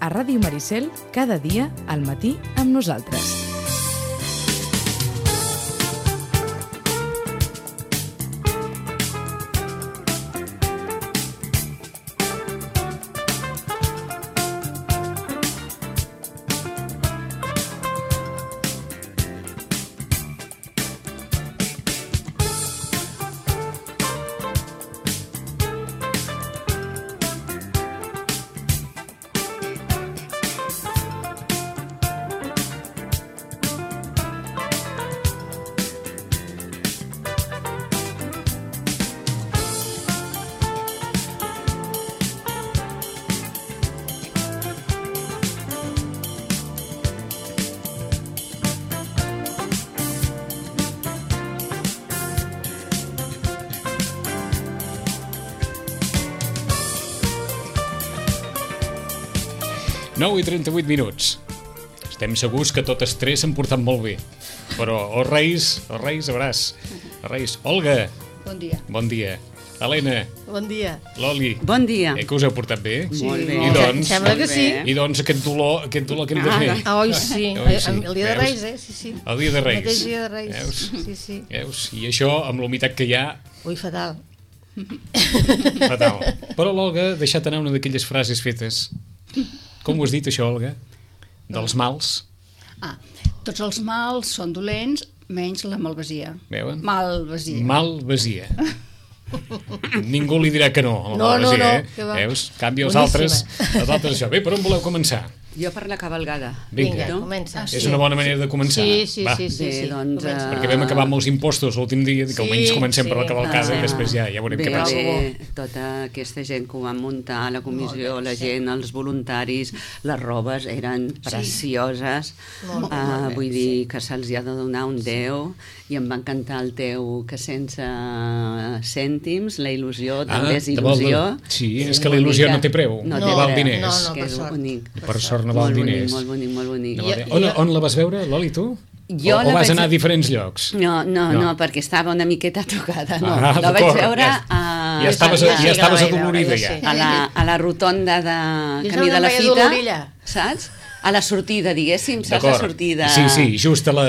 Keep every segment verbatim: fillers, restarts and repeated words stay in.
a Ràdio Maricel cada dia al matí amb nosaltres. nou i trenta-vuit minuts. Estem segurs que totes tres s'han portat molt bé. Però els Reis, els Reis, abraç. Els Reis. Olga. Bon dia. Bon dia. Helena. Bon dia. Loli. Bon dia. Eh, que us heu portat bé? Sí, molt bé. I doncs, sembla que sí. I doncs aquest dolor, aquest dolor que hem de fer. Ah, oi, sí. Oi, sí. El dia de Reis, eh? Sí, sí. El dia de Reis. El mateix dia de Reis. Veus? Sí, sí. Veus? I això, amb l'humitat que hi ha... Ui, fatal. Fatal. Però l'Olga ha deixat anar una d'aquelles frases fetes. Com ho has dit, això, Olga? Dels mals? Ah, tots els mals són dolents, menys la malvasia. Veuen? Malvasia. Malvasia. Ningú li dirà que no a la No, no, malvasia, no, eh? que va. Veus? Canvi els Boníssima. altres, els altres això. Bé, per on voleu començar? Jo per la cavalgada. Vinga. Vinga, comença. És una bona manera de començar. Sí, sí, Va. sí, sí, Bé, sí. doncs, Comença. eh, Perquè vam acabar amb els impostos l'últim dia, que Sí, almenys comencem sí. per la cavalcada Ah, i després ja, ja veurem bé, què passa. bé, tota aquesta gent que ho van muntar, la comissió, Molt bé, la sí. gent, els voluntaris, les robes eren precioses. Molt bé, Ah, molt bé, vull dir que se'ls ha de donar un deu i em va encantar el teu que sense cèntims, la il·lusió també és te vol- il·lusió. Sí, és que la il·lusió no té preu, no, no té val preu, diners. No, no, que per és sort. bonic. Per sort no val Molt diners. bonic, molt bonic, molt bonic. No Jo- val diners. On, jo- on la vas veure, Loli, tu? Jo o, o la vas vaig- anar a diferents llocs? No, no, No. no, perquè estava una miqueta tocada, no. Ah, la vaig d'acord, veure ja- a, Ja estaves, jo ja sí que estaves la vaig adolorida, veure, ja. jo sí. a, la, a la rotonda de Jo Camí no de la em veia Fita, dolorida. saps? A la sortida, diguéssim, saps la D'acord. sortida? Sí, sí, just a la...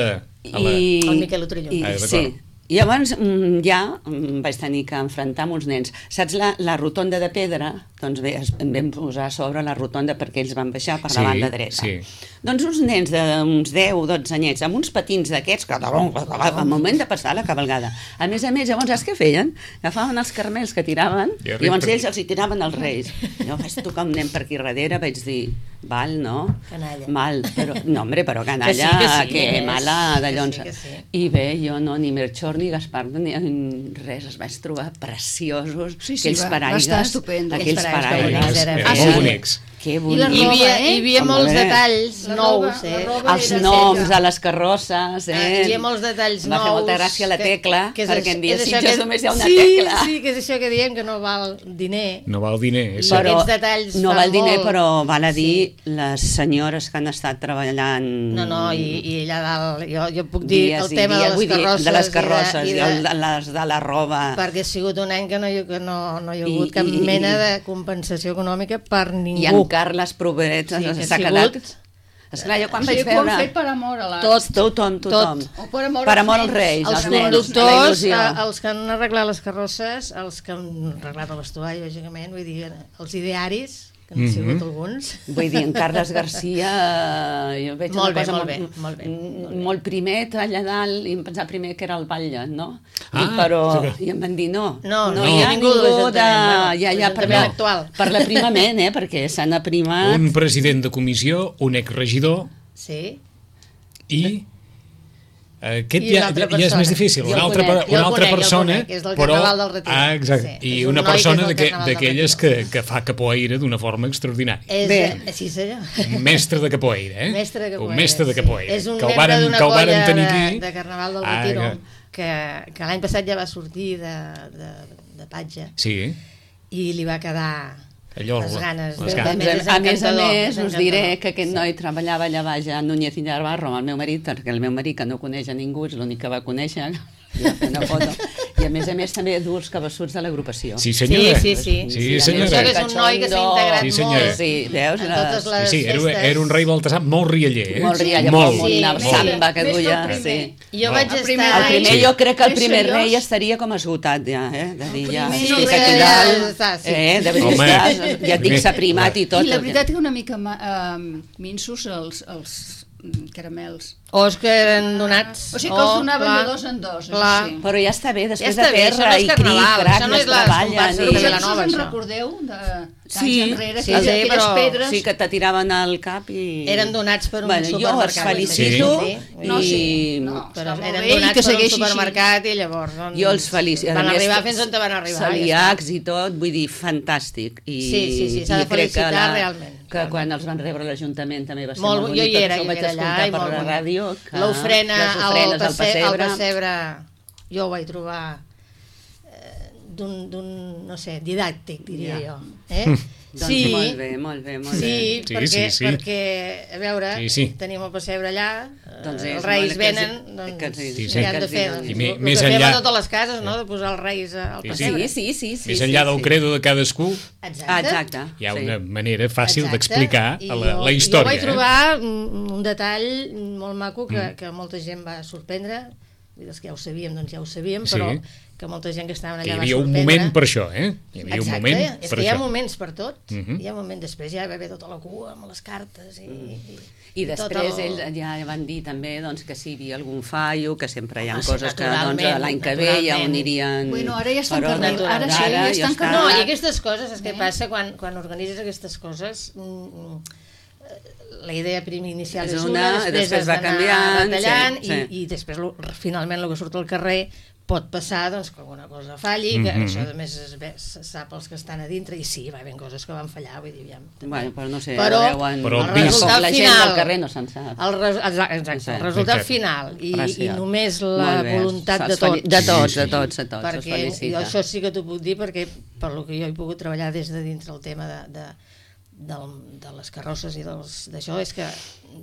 A la... I, El Miquel Otrilló. I, Ah, d'acord. sí. I llavors mm, ja mm, vaig tenir que enfrontar amb uns nens. Saps la, la rotonda de pedra? Doncs bé, es, em vam posar a sobre la rotonda perquè ells van baixar per Sí, la banda dreta. sí. Doncs uns nens d'uns deu o dotze anyets, amb uns patins d'aquests, que al moment de passar la cavalgada. A més a més, llavors, saps què feien? Agafaven els carmels que tiraven I i arriba llavors per- ells els hi tiraven als reis. Jo vaig tocar un nen per aquí darrere, vaig dir, val, no? Canalla. Mal, però, no, hombre, però canalla, Que sí, que sí, que és. mala de Que llons. sí, que sí. I bé, jo no, ni Melchor ni Gaspar ni res, els vaig trobar preciosos, Sí, sí, aquells va- va paraigues, estar estupendo. aquells Aquells paraigues paraigues, eren Eren Ah, molt sí? bonics. que I, bonic. la hi havia, hi havia Home, molts bé. detalls La nous, roba- eh? la roba Els era noms seca. a les carrosses, Ah, eh? hi havia molts detalls Va nous. fer molta gràcia la que- tecla, que és perquè això- en dia és això Sitges que- només hi ha una sí, tecla. Sí, que és això que diem, que no val diner. No val diner, és I cert. Però aquests detalls no fan val diner, molt. però val a dir Sí. les senyores que han estat treballant... No, no, i, i allà dalt, jo, jo puc dir dies el i tema dies, de les vull dir, carrosses. de les carrosses i i, de, el, i de, de, les, de la roba... perquè ha sigut un any que no, hi- que no, no hi ha I- hagut cap i- mena de compensació econòmica per ningú. I en Carles Provet Sí, que s'ha ha quedat... sigut- Esclar, jo quan O sigui, vaig que ho han veure... fet per amor a l'art. Tot, tothom, tothom. O per amor Per als amor als nens. reis, Els als nens, la conductors, il·lusió. eh, els que han arreglat les carrosses, els que han arreglat el vestuari, lògicament, vull dir, els idearis, que han Mhm. sigut alguns. Vull dir, en Carles Garcia, jo veig Molt una bé, cosa molt molt, bé, molt bé, molt bé. molt primet allà dalt, i em pensava primer que era el batlle, no? Ah, I, però, sí que- i em van dir no, No, no, no hi ha hi ha ningú, ningú de de... l'Ajuntament, Ja, bueno, ja, per, l'Ajuntament la- actual. per l'aprimament, eh? Perquè s'han aprimat... Un president de comissió, un exregidor Sí. i... eh, Aquest I ja, una altra ja és persona. més difícil. Jo Una el altra, conec, per- jo el una altra conec, jo el persona, conec, és del però... Carnaval del Retiro. Ah, exacte. Sí, I és un una noi que és persona del d'aqu- Carnaval del d'aquelles Retiro. que, que fa capoeira d'una forma extraordinària. És, Bé. eh, sí, senyor. Un mestre de capoeira, eh? Mestre de capoeira. Un mestre de sí. capoeira. És un que el membre varen, d'una que el varen colla tenir de, aquí. de Carnaval del Ah, Retiro, que- que, que l'any passat ja va sortir de, de, de patge Sí, i li va quedar allò... les ganes. les de- ganes. de- Doncs, és a més a encantador, més, és us diré encantador, que aquest sí. noi treballava allà baix a Núñez i Navarro amb el meu marit, perquè el meu marit, que no coneix a ningú, és l'únic que va conèixer, li va fer una foto, I a més a més també dur els cabassuts de l'agrupació. Sí, senyora. Sí, sí, sí. Sí, sí senyora. Això que és un noi que s'ha integrat Sí, senyora. molt Sí, veus? en totes Sí, les sí, era, festes. era un rei Baltasar molt rialler, eh? Molt rialler, molt. molt, una Sí, samba que més que el duia. primer. Sí. Jo vaig El estar... primer El primer, Sí. jo crec que el Més primer seriós. rei estaria com esgotat ja, eh? De dir, ja, primer estic no, aquí ja dalt, està, sí. eh? De Home. veritat, ja et dic, s'ha primat i tot. I la veritat que una mica uh, minsos els, els mm, caramels. O és que eren donats. O sigui que els Oh, donaven clar, de dos en dos, això clar. sí. Però ja està bé, després Ja està de bé, això no terra és i cric, carnaval, crac, això no es és les treballen. comparses i- de Vosaltres Vilanova, us en això. recordeu de d'anys Sí, enrere, sí, aquelles, sí, aquelles però- pedres? Sí, que te tiraven al cap i... Eren donats per un bueno, supermercat. jo els felicito Sí. i... No, sí, no. Però Està molt eren bé i donats que per un segueixi així. supermercat i llavors... Doncs, Jo els felicito. Van arribar fins on van arribar. ja Celíacs i tot, vull dir, fantàstic. I, Sí, sí, sí, s'ha de i crec que felicitar la- realment. Que quan els van rebre a l'Ajuntament també va ser Molt, molt jo bonic, hi era, perquè jo ho vaig era allà escoltar i per molt la bonic. ràdio. que L'ofrena les al, ofrenes al passe, al pessebre. pessebre, jo ho vaig trobar eh, d'un, d'un, no sé, didàctic, diria Ja. jo. Eh? Doncs sí, molt bé, molt bé, molt sí, bé. Sí, perquè, sí, sí. perquè, a veure, Sí, sí. tenim el pessebre allà, eh, Doncs és els reis molt que els- venen, doncs que els- Sí, sí, sí. han de que fer els doncs, I el, me- el més que fem enllà- a totes les cases, no?, de posar els reis al Sí, sí. pessebre. Sí, sí, sí. Més sí, enllà sí, del sí. credo de cadascú, Exacte. Ah, exacte. hi ha sí. una manera fàcil Exacte. d'explicar I la, la jo- història. Jo vaig eh? trobar un, un detall molt maco que, Mm. que molta gent va sorprendre, vull dir, els que ja ho sabíem, doncs ja ho sabíem, Sí. però que molta gent que estaven Que allà hi va havia un sorprendre. moment per això, eh? Hi havia Exacte, un moment és per que hi ha això. moments per tot. Mhm. Hi ha moments, després ja hi va haver tota la cua amb les cartes i... i I després tot el- ells ja van dir també doncs, que si hi havia algun fallo, que sempre hi ha Ah, sí, coses que doncs, naturalment, l'any que ve ja ho naturalment. anirien... Bueno, ara ja estan per ordre. carnal- ara sí, Ara ja estan està. carnal- No, i aquestes coses, és que Eh? passa quan, quan organitzes aquestes coses... Mm, mm, la idea prim inicial és, És una, una, després, després has va d'anar canviant, detallant sí, sí. i, i després lo, finalment el que surt al carrer pot passar doncs, que alguna cosa falli, que Mhm. això a més es, ve, se sap els que estan a dintre i sí, va haver coses que van fallar, vull dir, ja, també. Bueno, però no sé, Però deuen... Però el vist- resultat la gent final, del carrer no se'n sap. el, res, exacte, exacte, Sí. el resultat Exacte. final i, i Gràcies. només la Molt bé. voluntat de Els feli- tots. De tots, Sí, de sí. tots, de tots, els Perquè jo felicita. això sí que t'ho puc dir perquè per lo que jo he pogut treballar des de dintre el tema de, de, del, de les carrosses i dels- d'això és que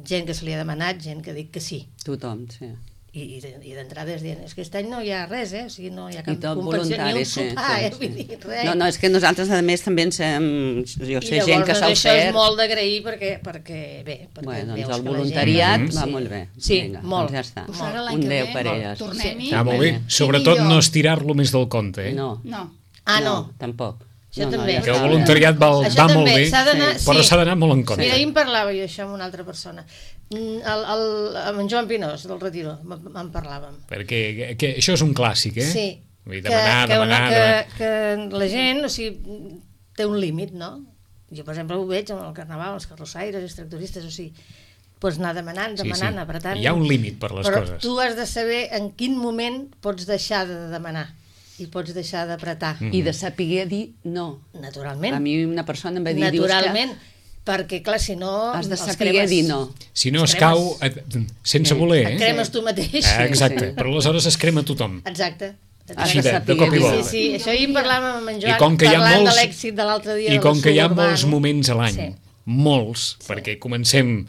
gent que se li ha demanat, gent que dic que sí Tothom, sí. i, i de- i d'entrada és dient, és que aquest any no hi ha res, eh? O sigui, no hi ha I cap tot compensació, ni voluntari, un sí, sopar, sí, eh? sí. Vull dir, res. No, no, és que nosaltres a més també ens hem... Jo I sé llavors, gent que s'ha doncs, això és ofert... molt d'agrair perquè, perquè bé, perquè Bueno, veus doncs el que la voluntariat gent... va molt bé. Sí, Vinga, molt. Doncs ja està. Doncs ara l'any Un que deu ve, per molt, elles. tornem-hi. Ah, molt bé. I Sobretot millor. no estirar-lo més del compte, eh? No, No. Ah, no. tampoc. Això no, també. No, ja Que el està bé. voluntariat va, Això va també, molt bé, s'ha d'anar- però sí. s'ha d'anar molt en compte. Mira, ahir em parlava jo això amb una altra persona. Mm, El, el, amb en Joan Pinós, del Retiro, m- en parlàvem. Perquè que això és un clàssic, eh? Sí, Vull dir, que, demanar, que, demanar, una, demanar. que, que la gent, o sigui, té un límit, no? Jo, per exemple, ho veig amb el carnaval, els carrossaires, els tractoristes, o sigui, pots anar demanant, Sí, demanant, sí. apretant... Hi ha un límit per les però coses. tu has de saber en quin moment pots deixar de demanar i pots deixar d'apretar. Mm. I de saber dir no. Naturalment. A mi una persona em va dir... Naturalment. Perquè, clar, si no... Dius que has de els saber cremes- dir no. Si no es Cremes. cau, et- sense Sí. voler, Et eh? cremes tu mateix. Ah, exacte, Sí. però aleshores es crema tothom. Exacte. Així de, de saber cop i dir. volta. Sí, sí, això ahir en parlàvem amb en Joan, I com que hi ha parlant molts- de l'èxit de l'altre dia. I de com lo que hi ha suburbano. molts moments a l'any, Sí. molts, Sí. perquè comencem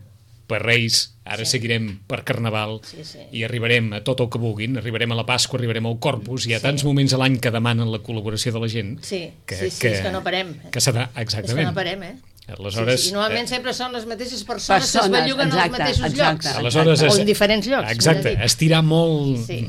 per Reis, ara Sí. seguirem per Carnaval Sí, sí. i arribarem a tot el que vulguin, arribarem a la Pasqua, arribarem al Corpus, hi ha Sí. tants moments a l'any que demanen la col·laboració de la gent Sí, sí, sí, és que no parem. que s'ha de... És que Exactament. no parem, eh? Aleshores, sí, sí. I normalment eh, sempre són les mateixes persones, Persones, que es belluguen als exacte, mateixos exacte. llocs. Aleshores, o es- en diferents llocs. Exacte, millor dit. estirar molt Sí.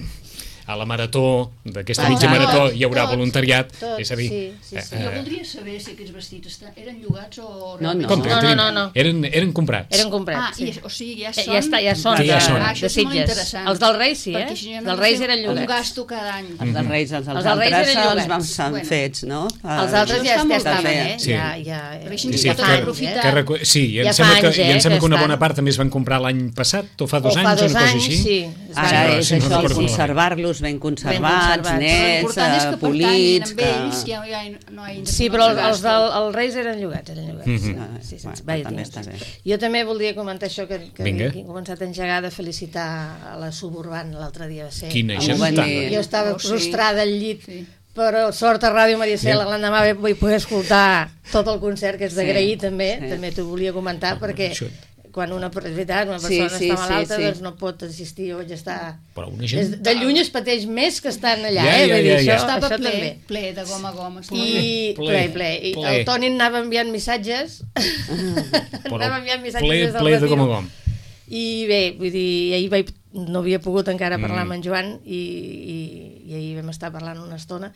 a la marató, d'aquesta Tot, mitja marató tot, hi haurà tot, voluntariat, tot, és a dir... sí, sí, sí. eh, Jo voldria saber si aquests vestits estan, eren llogats o... No, no. com, No, no, Trini? no, no. Eren, eren comprats. Eren comprats, Ah, sí. i, o sigui, ja Eh, són... ja està, ja són, Que ja de, són. Ah, de això és molt Sitges. interessant. Els del Reis, sí, eh? Perquè si no, Els Reis eren Un llogats. gasto cada any. Els dels Reis, els, els Els dels Reis altres eren els llogats. vam ser Bueno. fets, no? Els altres Això ja, està ja molt estaven, bé. eh? Sí. Ja, ja, Però així ja ens Sí, hi fa pot anys, aprofitar. que recu... Sí, i em Ja fa sembla, que, anys, i em eh, sembla que que una bona estan. part també es van comprar l'any passat, o fa dos O anys, fa dos una cosa anys, així. sí. Es van- Ara Sí, és sí, no això, recordo conservar-los ben conservats, conservats. nets, L'important és eh, que polits... pertanyin amb ells, ja, ja no hi ha Sí, però els, els dels els Reis eren llogats, eren llogats. Mhm. Ah, Sí, sí, bueno, sí, vaja, també sí. està bé. Jo també voldria comentar això que, que Vinga. he començat a engegar de felicitar a la suburban l'altre dia. Va ser. Quina Amb gentada. venir. Jo estava Oh, sí. prostrada al llit, Sí. però sort a Ràdio Maricel, Sí. l'endemà vaig poder escoltar tot el concert, que és d'agrair Sí, també, sí. també t'ho volia comentar, perquè Això. quan una, és veritat, una persona Sí, sí, està malalta, sí, sí. doncs no pot assistir, o ja està... Però una gent... De lluny es pateix més que estan allà, Ja, eh? ja, Vull dir, ja, ja. això, Estava això ple, també. ple de gom a gom. estava I Ple, ple, ple. I ple. el Toni anava enviant missatges. Però anava enviant missatges ple, des del ple de retiro. gom a gom. I bé, vull dir, ahir vaig, no havia pogut encara parlar Mm. amb en Joan i, i, i ahir vam estar parlant una estona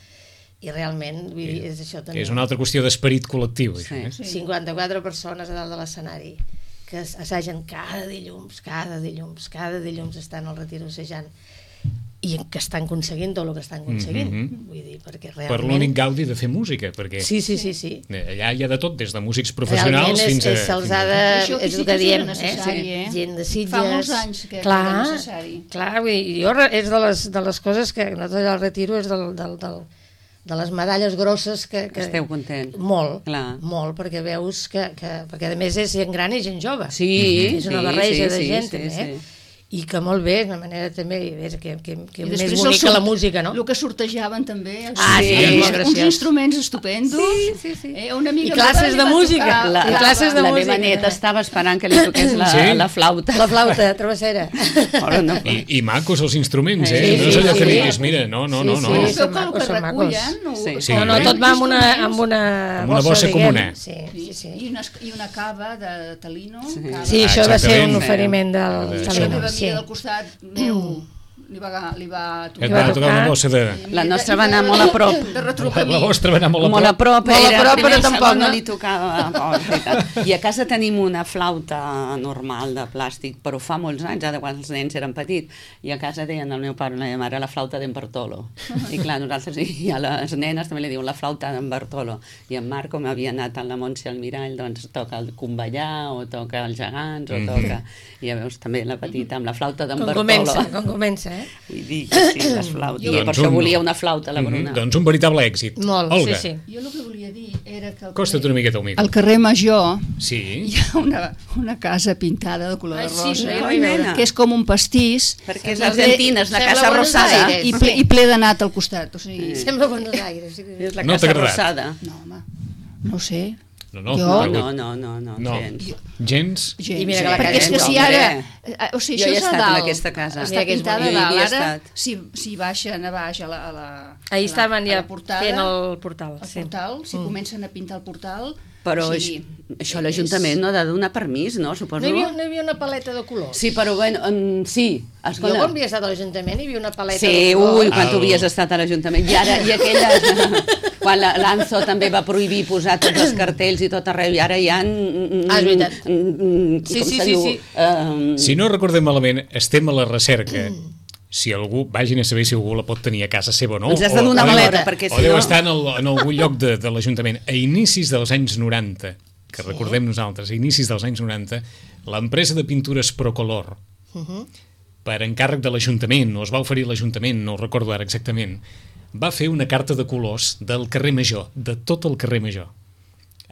i realment, vull dir, és això també. És una altra qüestió d'esperit col·lectiu, això, Sí. eh? Sí. cinquanta-quatre persones a dalt de l'escenari que assagen cada dilluns, cada dilluns, cada dilluns estan al retiro assajant i que estan aconseguint tot el que estan aconseguint. Mhm. Vull dir, perquè Per realment... l'únic gaudi de fer música, perquè Sí, sí, sí, sí. allà hi ha de tot, des de músics Realment professionals és, fins a... és, se'ls ha fins a- de... Això aquí és sí el que que sí diem, era necessari, eh? Gent de Sitges... Fa molts anys que- que clar, era necessari. Clar, vull dir, jo re- és de les, de les coses que nosaltres al retiro és del, del, del, de les medalles grosses que... que Esteu content. Molt, Clar. molt, perquè veus que, que... Perquè a més és gent gran i gent jove. Sí, És una sí, barreja sí, de sí, gent, sí, també, eh? sí. I que molt bé, és una manera també és que, que, que I més després bonic el que la sort- música, no? El que sortejaven també. els- Ah, sí, uns- molt uns graciós. instruments estupendos. Sí, sí, sí. Eh, una amiga I classes meva li de va música. tocar- La, I classes de la música. meva neta estava esperant que li toqués la, Sí? la flauta. La flauta, travessera. Però no, I, I macos els instruments, eh? Sí, no és sí, allò que sí. diguis, mira, no, no, no, Sí, no. Però sí. es veu que el macos, que són macos. recullen... ho- Sí. Sí. No, no, tot va amb una, amb una, Amb una bossa diguem. comuna. Sí, sí, I, sí. i, una, I una cava de talino. Sí. Cava. Sí, Ah, això va ser un exactament. oferiment del Ah, La això. Salino. meva Sí. amiga del costat meu li va, li va Et va va tocar una tocar. bossa de... La nostra va anar molt a prop. De retruc La vostra va anar molt a Molt a prop. prop, Molt a era prop, primer però i tampoc, segon no no? li tocava. Oh, és veritat. I a casa tenim una flauta normal de plàstic, però fa molts anys, ara quan els nens eren petits, i a casa deien al meu pare i la meva mare la flauta d'en Bartolo. I clar, nosaltres i a les nenes també li diuen la flauta d'en Bartolo. I en Marc, com havia anat a la Montse al Mirall, doncs toca el Convellar, o toca els gegants, o toca... I ja veus també la petita amb la flauta d'en Com Bartolo. comença, com comença, eh? Vull dir que sí, les flautes. I Doncs per això un- volia una flauta, la Bruna. Mhm, doncs un veritable èxit. Molt, Olga, sí, sí. Jo el que volia dir era que al costa't una miqueta humil. al carrer Major Sí? hi ha una, una casa pintada de color Ai, de sí, rosa, no hi Ai, nena. que és com un pastís Perquè és Sembla- argentina, és la sembla Casa Buenos Rosada. Aires. i ple, i ple de nat al costat. O sigui, Sembla Buenos Aires. Sí. És la No t'ha Casa agradat? Rosada. no, home, no ho sé. No, no, Jo? però- No, no, no, no, no. gens. Gens? Gens. I mira que la perquè és casa que és si home. ara... eh, O sigui, Jo això hi he és a estat en dalt. aquesta casa. Està Mira que és pintada bonic. a Jo hi dalt. he Ara, estat. si, si baixen a baix a la, a la, Ahir a estaven la, ja a la portada, fent el portal. el Sí. portal, si comencen a pintar el portal... Però o això, sigui, això és- l'Ajuntament no ha de donar permís, no? Suposo. No hi, havia, no hi havia una paleta de colors? Sí, però bueno, um, sí. Jo Escolta. quan havia estat a l'Ajuntament hi havia una paleta Sí, de colors. ui, quan tu El- havies estat a l'Ajuntament. I ara, i aquella... quan la- l'Anzo també va prohibir posar tots els cartells i tot arreu, i ara hi ha... Ah, és veritat. Sí, Com sí, se sí, diu? sí. Um, Si no recordem malament, estem a la recerca. Si algú, vagin a saber si algú la pot tenir a casa seva o no. Ens has de o- donar o deu- maleta, perquè O si deu no... estar en, el, en algun lloc de, de l'Ajuntament. A inicis dels anys noranta, que sí. recordem nosaltres, a inicis dels anys noranta, l'empresa de pintures Procolor, Uh -huh. per encàrrec de l'Ajuntament, o es va oferir l'Ajuntament, no ho recordo ara exactament, va fer una carta de colors del carrer Major, de tot el carrer Major,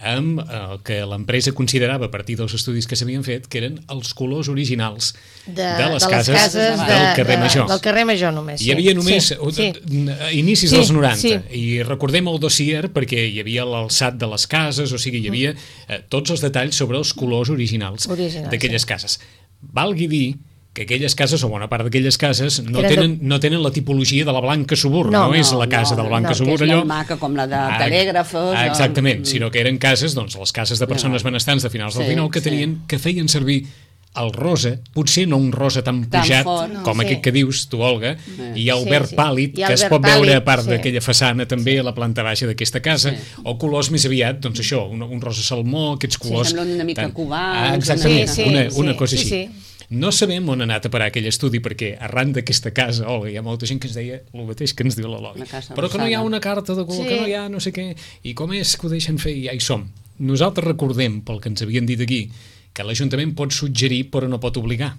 amb el que l'empresa considerava, a partir dels estudis que s'havien fet, que eren els colors originals de, de les cases, cases del de, carrer de, Major. Del carrer Major només. Hi havia només sí, sí, sí. a inicis Sí, dels noranta, sí. i recordem el dossier perquè hi havia l'alçat de les cases, o sigui, hi havia eh, tots els detalls sobre els colors originals, Originals, d'aquelles sí. cases. Valgui dir que aquelles cases, o bona part d'aquelles cases, no Eren de- tenen, no tenen la tipologia de la Blanca Subur, no, No, no és la casa no, de la Blanca no, Subur, que és allò... molt maca, com la de Ah, telègrafos, ah, o- exactament, Mm. sinó que eren cases, doncs, les cases de persones benestants de finals del Sí, dinou que sí. tenien, que feien servir el rosa, potser no un rosa tan Tan pujat fort, no. com Sí. aquest que dius tu, Olga, i el Sí, verd sí. pàl·lid, I el que es verd pot veure a pàl·lid, part sí. d'aquella façana també a la planta baixa d'aquesta casa, Sí. o colors més aviat, doncs això, un, un rosa salmó, aquests colors... semblen una mica cubans, Ah, exactament, una mica. una, Sí, sí, una cosa sí, així. sí. No sabem on ha anat a parar aquell estudi, perquè arran d'aquesta casa, Olga, hi ha molta gent que ens deia el mateix que ens diu l'Eloi. La casa Però que no hi ha rosada. una carta de color, Sí. que no hi ha no sé què, i com és que ho deixen fer, i ja hi som. Nosaltres recordem, pel que ens havien dit aquí, que l'Ajuntament pot suggerir però no pot obligar.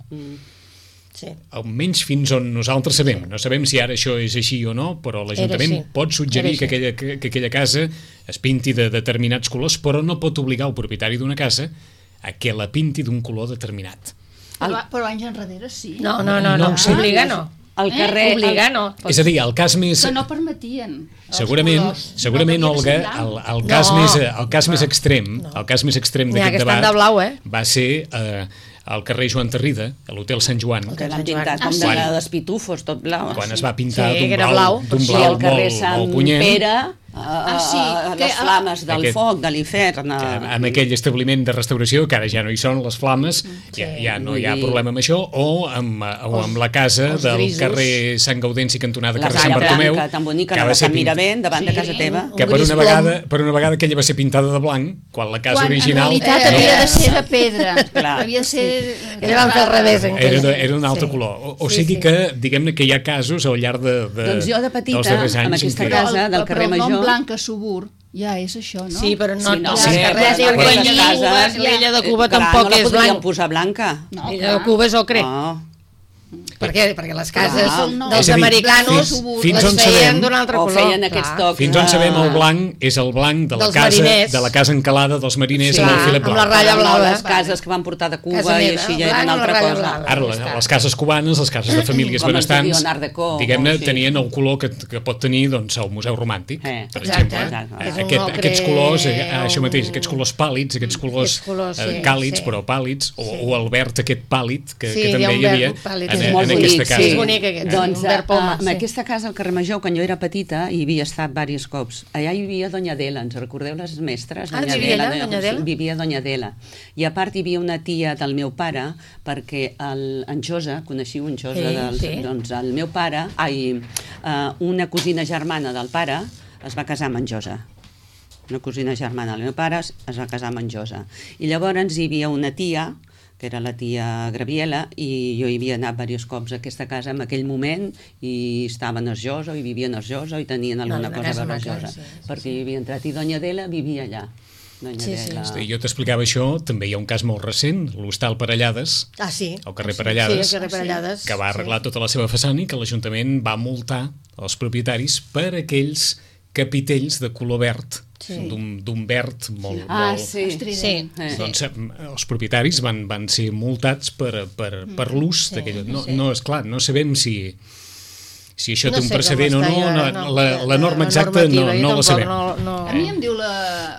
Sí. Almenys fins on nosaltres sabem. No sabem si ara això és així o no, però l'Ajuntament així. pot suggerir Era que així. aquella, que, que aquella casa es pinti de determinats colors, però no pot obligar el propietari d'una casa a que la pinti d'un color determinat. Però, però anys enrere sí. No, no, no, No no, ho sé. obligar no. Al Eh? carrer... Obligar no. És a dir, el cas més... Que no permetien. els Segurament, colors. segurament No, Olga, perquè el, era el cas No, més, el cas més extrem, el cas més extrem N'hi ha d'aquest que estan debat de blau, eh? va ser eh, al carrer Joan Tarrida, a l'Hotel Sant Joan, Que l'han pintat com sí. de despitufos, tot blau. quan es va pintar Sí, d'un que era blau, blau. d'un I blau al carrer molt, Sant molt punyent, Pere, a, Ah, sí, a, que les a- flames del Aquest- foc, de l'infern. que en aquell establiment de restauració, que ara ja no hi són les flames, ja, ja no hi ha Vull dir- problema amb això, o amb, o amb la casa els del grisos. carrer Sant Gaudenci, cantonada La carrer Sant Salla Bartomeu, Blanca, tan bonica, que la va de ser Sant pint- Miravent, davant de Sí. casa teva. Un que per gris una, plom. vegada, per una vegada aquella va ser pintada de blanc, quan la casa Quan original en realitat Eh, havia eh, de ser de pedra. Clar. Havia de ser... Ella van fer al revés, encara. era, de, era un altre Sí. color. O, o Sí, sigui sí. que, diguem-ne que hi ha casos al llarg de, de, Doncs jo de petita, dels darrers anys amb en aquesta què- casa- Però el, del però carrer el nom Major. Blanca Subur ja és això, no? Sí, però no, Sí, no, tots sí, els carrers sí, diuen sí, que sí, l'illa sí, l'illa de Cuba Clar, tampoc no la és podríem blanc. posar blanca. No, L'illa de Cuba és ocre. No. Per què? Perquè les cases Clar. dels És a dir, americanos fins- fins les on feien sabem- d'un altre O color. feien aquests Clar. tocs. Fins on de- sabem el blanc és el blanc de la, Dels casa, mariners. de la casa encalada dels mariners Sí, amb el clar, filet amb blau. la ratlla No, blava. les cases que van portar de Cuba Casa i meva, així ja blanc eren amb la altra ratlla cosa. blava. Ara, Ja les, està. les cases cubanes, les cases de famílies Com es benestants, diuen, Art Deco, diguem-ne, o així. tenien el color que, que pot tenir doncs, el Museu Romàntic, Eh, per exacte. exemple. Exacte. Eh, És un Aquest, ocre, aquests colors, eh, això un- mateix, aquests colors pàl·lids, aquests colors, Aquests colors, eh, sí, càlids, sí. però pàl·lids, o, Sí. o el verd aquest pàl·lid, que, Sí, que hi ha també un hi havia verd pàl·lid, en, és en, molt aquesta bonic, casa. sí. És bonic aquest, Doncs un verd poma, a, sí. en aquesta casa al carrer Major, quan jo era petita, hi havia estat diversos cops. Allà hi havia Doña Adela, ens recordeu les mestres? Ah, vivia allà, Doña Adela? Vivia Doña Adela. I a part hi havia una tia del meu pare, perquè el, en Josa, coneixiu en Josa, Sí, dels, sí. doncs el meu pare, ai, uh, una cosina germana del pare es va casar amb en Josa. Una cosina germana del meu pare es es va casar amb en Josa. I llavors hi havia una tia, que era la tia Graviela, i jo hi havia anat diversos cops a aquesta casa en aquell moment, i estaven a Josa, i vivien a Josa, i tenien alguna una cosa a casa veure a maca, Josa, sí, sí, perquè sí. hi havia entrat, i Doña Adela vivia allà. Doña Sí, sí. Adela. Sí, jo t'explicava això, també hi ha un cas molt recent, l'Hostal Parellades, Ah, sí. al carrer Sí, Parellades, Sí, al carrer Parellades. que va arreglar sí. tota la seva façana i que l'Ajuntament va multar els propietaris per aquells capitells de color verd, Sí. d'un d'un verd molt... Ah, molt... sí. Estrident. Sí. Eh. Doncs eh, els propietaris van, van ser multats per, per, per l'ús sí, d'aquell... No, sí. no, és clar, no sabem si, si això No té un sé com precedent o està no, jo ara, no, no, la, de- la de norma la exacta no, normativa, jo no la tampoc sabem. no- no- A mi em diu la...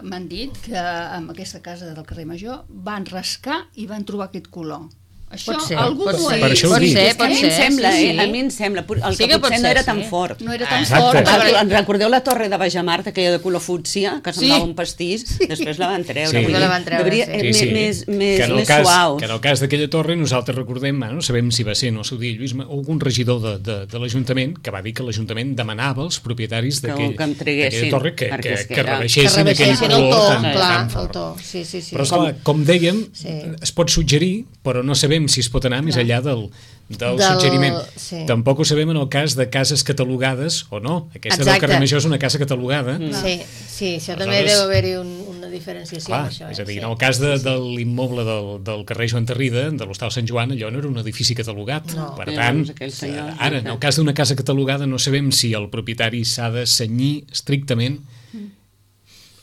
m'han dit que en aquesta casa del carrer Major van rascar i van trobar aquest color. Això Pot ser, algú pot m'ho ha ser. Per dit. això ho pot dic. ser, És que a pot mi em ser, sembla, sí, eh? sí. A mi em sembla. El Sí que que pot potser no ser, era sí. tan fort. No era tan Exacte. fort. Exacte. perquè- En recordeu la torre de Bajamart, aquella de color fútsia, que semblava Sí. un pastís? Després la van treure. Sí. vull dir, La van treure, devia- sí. eh, Sí, sí. Més, més, que en el més cas, suaus. que en el cas d'aquella torre nosaltres recordem, no sabem si va ser en el seu dia Lluís, Ma- o algun regidor de, de, de l'Ajuntament que va dir que l'Ajuntament demanava als propietaris Que- d'aquell- que em treguessin, d'aquella torre que, perquè que, és que que era- Que rebaixessin aquell rebaixessin el color to, tan, clar, tan el fort. to. Sí, sí, sí. Però, esclar, com dèiem, Sí. es pot suggerir, però no sabem si es pot anar més enllà del, del, Del- suggeriment. sí. Tampoc ho sabem en el cas de cases catalogades o no. Aquesta del Exacte. carrer Major és una casa catalogada. Sí, sí, això també Aleshores- deu haver-hi un, una diferenciació Clar, amb això. és a dir, sí. en el cas de, de l'immoble del, del carrer Joan Tarrida, de l'Hostal Sant Joan, allò no era un edifici catalogat. No. Per Eh, tant, doncs aquell senyor, eh, ara, en el cas d'una casa catalogada, no sabem si el propietari s'ha de cenyir estrictament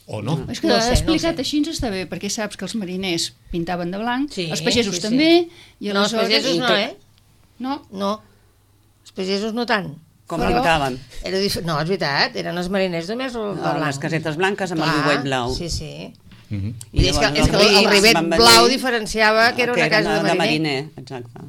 o no. És que No no sé, no explicat sé. així està bé, perquè saps que els mariners pintaven de blanc, Sí, els pagesos sí, sí. també, i No, els aleshores... pagesos no, eh? No, No, els pagesos no tant. Com Però- pintaven. Era dif... No, és veritat, eren els mariners només el de Ah, blanc. les casetes blanques amb el Clar, viuet blau. Sí, sí. Mhm. I és que, llavors és que els el, el rics rivet van venir- blau diferenciava que era una casa de mariner. mariner. Exacte.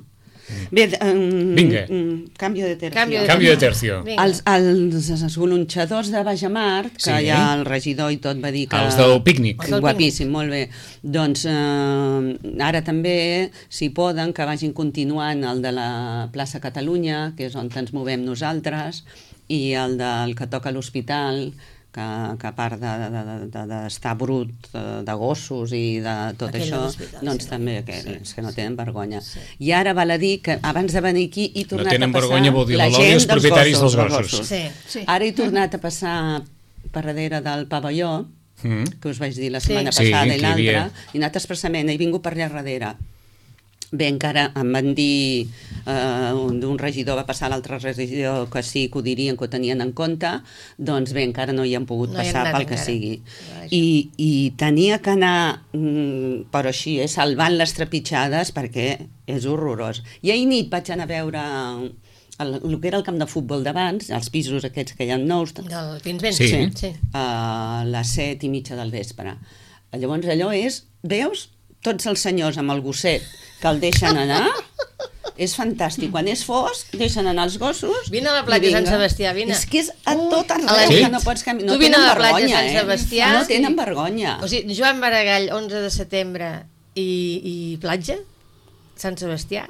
Bé, um, Vinga. um, canvi de tercio. Canvi de Canvi de tercio. Vinga. Els, els, els golonxadors de Bajamart, que Sí. ja el regidor i tot va dir que... Els del pícnic. Els del Guapíssim, molt bé. Doncs eh, ara també, si poden, que vagin continuant el de la plaça Catalunya, que és on ens movem nosaltres, i el del que toca a l'hospital, que, que a part d'estar de, de, de, d'estar brut eh, de gossos i de tot Aquell de això, l'hospital, doncs sí. també que, Sí, és que no tenen vergonya. I ara val a dir que abans de venir aquí he No tornat tenen a passar vergonya, vol dir la la Lòlia i els gent dels propietaris dels dels gossos. Sí. sí. Ara he tornat a passar per darrere del pavelló, Mm. que us vaig dir la setmana Sí, passada que i hi havia. l'altra, i he anat expressament, he vingut per allà darrere. Bé, encara em van dir, eh, un, un regidor va passar a l'altre regidor que sí, que ho dirien, que ho tenien en compte, doncs bé, encara no hi han pogut No hi han passar anat pel que encara. sigui. Vaja. I, I tenia que anar, mm, però així, eh, salvant les trepitjades, perquè és horrorós. I ahir nit vaig anar a veure el, el que era el camp de futbol d'abans, els pisos aquests que hi ha nous, Del Pinsbens. Sí. sí. a les set i mitja del vespre. Llavors allò és, veus tots els senyors amb el gosset que el deixen anar, és fantàstic. Quan és fosc, deixen anar els gossos. Vine a la platja de Sant Sebastià, vine. És que és a tot arreu, a la que nit. no pots caminar. Tu No vine a tenen la platja de vergonya, Sant eh? Sebastià. No tenen vergonya. O sigui, Joan Maragall, onze de setembre, i, i platja, Sant Sebastià.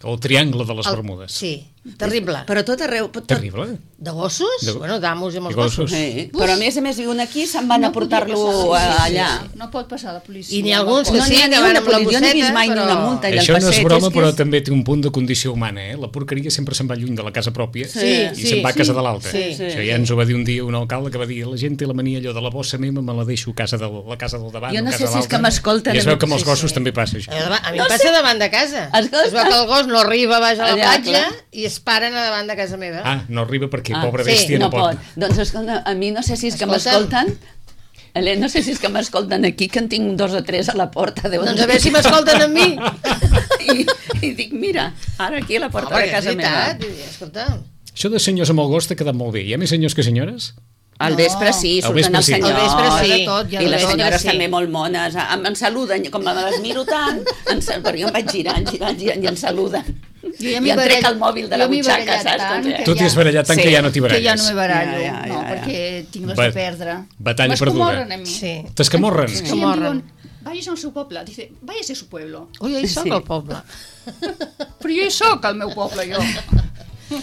El triangle de les El- Bermudes. Sí, terrible. Però tot arreu... Tot... Terrible. De gossos? De- Bueno, d'amos amb els I gossos. gossos. Sí, però a més a més viuen aquí, se'n van a No podia portar-lo passar, sí, sí, allà. sí. No pot passar la policia. I n'hi ha alguns que No sí, n'hi ha que ni van una amb la policia, no he vist bosseta, mai ni però... una multa. I el Això no és passeig broma, és que però és- també té un punt de condició humana, eh? La porqueria sempre se'n va lluny de la casa pròpia Sí, i sí, se'n va a casa sí. de l'altra. Sí, sí. Això ja ens ho va dir un dia un alcalde que va dir la gent té la mania allò de la bossa meva, me la deixo a casa del, la casa del davant, Jo no a sé casa si és de l'altra. que m'escolten I es a veu mi. que amb els Sí, gossos sí. també passa això. A mi No em passa sé. davant de casa. Escolta. Es veu que el gos no arriba baix a la Allà, platja clar. i es paren a davant de casa meva. Ah, no arriba perquè, Ah, pobra sí, bèstia, no no pot. Doncs escolta, a mi no sé si és que Escolta'm. m'escolten. Helena, no sé si és que m'escolten aquí, que en tinc dos o tres a la porta. Deuen Doncs a veure si m'escolten a mi. I, I dic, mira, ara aquí a la porta Home, de que és casa meva. veritat. I, escolta, Això de senyors amb el gos t'ha quedat molt bé. Hi ha més senyors que senyores? Al No. vespre sí, Al surten vespre els sí. senyors. Al vespre sí. Hi ha de tot, hi ha I de les tot, senyores sí. també molt mones. Em, em saluden, com me les miro tant, em, sal- perquè jo em vaig girant, girant, girant i em saluden. Jo ja I m'hi em trec barallo- el mòbil de la jo m'hi he butxaca, barallat saps? tant Com que Tu t'hi has barallat tant Sí. que ja no t'hi Que ja baralles. no me barallo, Ja, ja, no, ja, ja. perquè tinc les Ba- de perdre. batalla perduda. M'escomorren a mi. sí. T'escamorren? Sí, Que em morren. diuen, vayas al seu poble. Dice, váyase a su pueblo. Ui, hi soc Sí. al poble. Però jo hi soc, al meu poble, jo.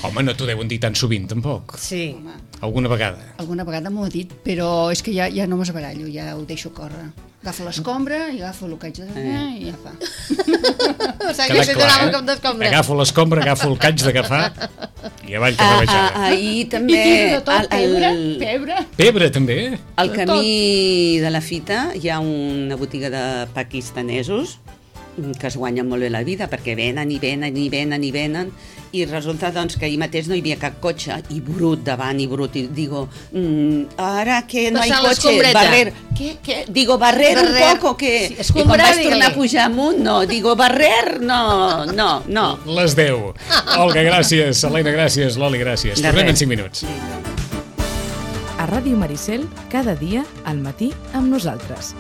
Home, no t'ho deuen dir tan sovint, tampoc. Sí. Alguna vegada. Alguna vegada m'ho ha dit, però és que ja, ja no m'esbarallo, ja ho deixo córrer. Agafo l'escombra i agafo el que haig de fer i ja fa. O sigui, Quedat que clar, donava eh? un cop d'escombra. Agafo l'escombra, agafo el que haig d'agafar i avall que Ah, rebejada. ah, ahir I també... tiro de tot, al- pebre, al- pebre. Pebre, també? Al camí de la fita hi ha una botiga de pakistanesos que es guanyen molt bé la vida perquè venen i venen i venen i venen i resulta doncs que ahir mateix no hi havia cap cotxe i brut davant i brut i digo, mm, ara que no hi Passar cotxe, l'escombreta. barrer què, què? Digo, barrer, Barrer. un poco que... Sí, I quan escombrar, vaig tornar a digue-li. pujar amunt, no, digo, barrer, no, no, no. Les deu. Olga, gràcies. Helena, gràcies. Loli, gràcies. De Tornem res. en cinc minuts. A Ràdio Maricel, cada dia, al matí, amb nosaltres.